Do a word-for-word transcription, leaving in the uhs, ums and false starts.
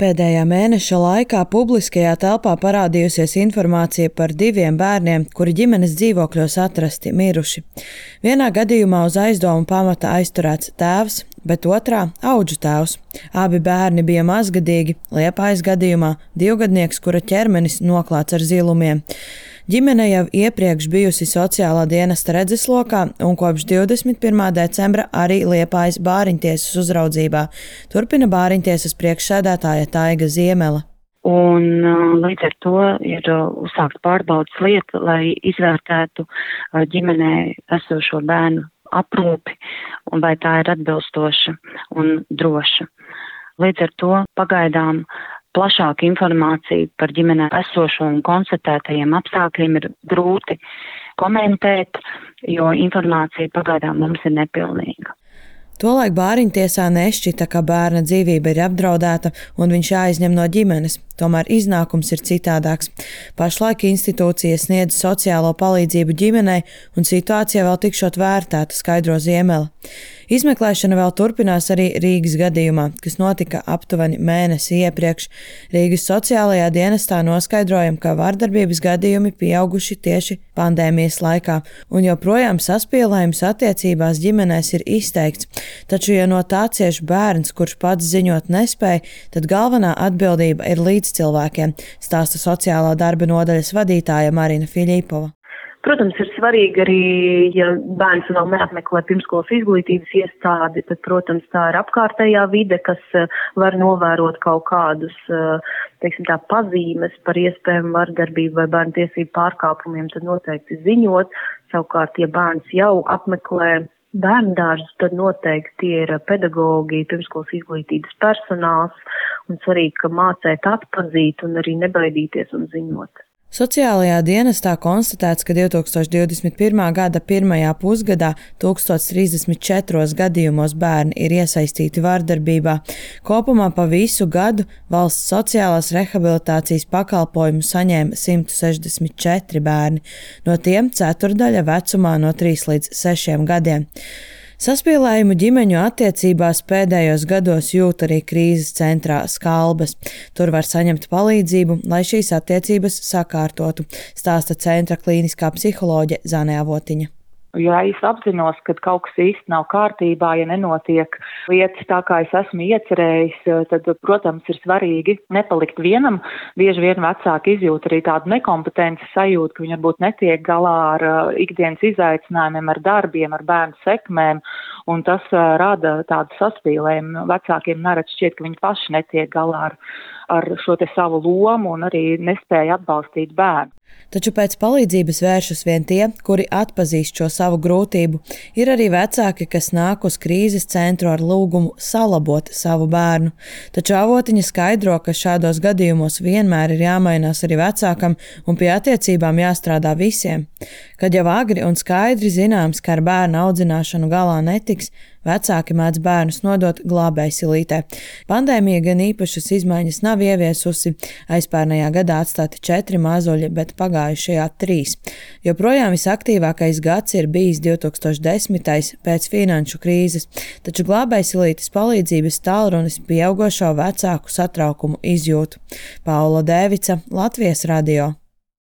Pēdējā mēneša laikā publiskajā telpā parādījusies informācija par diviem bērniem, kuri ģimenes dzīvokļos atrasti miruši. Vienā gadījumā uz aizdomu pamata aizturēts tēvs, bet otrā – audžu tēvs. Abi bērni bija mazgadīgi, Liepājas gadījumā divgadnieks, kura ķermenis noklāts ar zilumiem. Ģimene jau iepriekš bijusi sociālā dienesta redzeslokā un kopš divdesmit pirmā decembra arī Liepājas bāriņtiesas uzraudzībā, turpina bāriņtiesas priekšsēdētāja Taiga Ziemele. Un līdz ar to ir uzsākt pārbaudas lieta, lai izvērtētu ģimenē esošo bērnu aprūpi un vai tā ir atbilstoša un droša. Līdz ar to pagaidām plašāka informācija par ģimenē esošo un konstatētajiem apstākļiem ir grūti komentēt, jo informācija pagaidām mums ir nepilnīga. Tolaik bāriņtiesā nešķita, ka bērna dzīvība ir apdraudēta un viņš jāizņem no ģimenes, tomēr iznākums ir citādāks. Pašlaik institūcija sniedz sociālo palīdzību ģimenei un situācija vēl tikšot vērtēta, skaidro Ziemele. Izmeklēšana vēl turpinās arī Rīgas gadījumā, kas notika aptuveni mēnesi iepriekš. Rīgas sociālajā dienestā noskaidrojam, ka vardarbības gadījumi pieauguši tieši pandēmijas laikā, un joprojām saspīlējums attiecībās ģimenēs ir izteikts. Taču, ja no tā cieš bērns, kurš pats ziņot nespēja, tad galvenā atbildība ir līdz cilvēkiem, stāsta sociālā darba nodaļas vadītāja Marina Fiļipova. Protams, ir svarīgi arī, ja bērns vēl neapmeklē pirmskolas izglītības iestādi, tad, protams, tā ir apkārtējā vide, kas var novērot kaut kādus, teiksim tā, pazīmes par iespējamu vardarbību vai bērnu tiesību pārkāpumiem, tad noteikti ziņot. Savukārt, ja bērns jau apmeklē bērndārzus, tad noteikti tie ir pedagogi, pirmskolas izglītības personāls, un svarīgi, ka mācēt atpazīt un arī nebaidīties un ziņot. Sociālajā dienestā konstatēts, ka divtūkstoš divdesmit pirmā gada pirmajā pusgadā tūkstoš trīsdesmit četros gadījumos bērni ir iesaistīti vardarbībā. Kopumā pa visu gadu valsts sociālās rehabilitācijas pakalpojumu saņēma simt sešdesmit četri bērni, no tiem ceturdaļa vecumā no trīs līdz sešiem gadiem. Saspīlējumu ģimeņu attiecībās pēdējos gados jūt arī krīzes centrā Skalbes. Tur var saņemt palīdzību, lai šīs attiecības sakārtotu, stāsta centra klīniskā psiholoģe Zane Avotiņa. Ja es apzinos, ka kaut kas īsti nav kārtībā, ja nenotiek lietas tā, kā es esmu iecerējis, tad, protams, ir svarīgi nepalikt vienam. Bieži vien vecāki izjūt arī tādu nekompetences sajūtu, ka viņi varbūt netiek galā ar ikdienas izaicinājumiem, ar darbiem, ar bērnu sekmēm, un tas rada tādu saspīlējumu. Vecākiem nerad šķiet, ka viņi paši netiek galā ar, ar šo te savu lomu un arī nespēja atbalstīt bērnu. Taču pēc palīdzības vēršas vien tie, kuri atpazīst šo savu grūtību. Ir arī vecāki, kas nāk uz krīzes centru ar lūgumu salabot savu bērnu. Taču Avotiņa skaidro, ka šādos gadījumos vienmēr ir jāmainās arī vecākam un pie attiecībām jāstrādā visiem. Kad jau agri un skaidri zināms, ka ar bērnu audzināšanu galā netiks, vecāki mēdz bērnus nodot glābējsilītē. Pandēmija gan īpašas izmaiņas nav ieviesusi. Aizpērnējā gadā atstāti četri mazuļi, bet pagājušajā trīs. Joprojām visaktīvākais gads ir bijis divtūkstoš desmitais pēc finanšu krīzes, taču glābējsilītes palīdzības tālrunis pieaugošo vecāku satraukumu izjūtu. Paula Dēvica, Latvijas radio.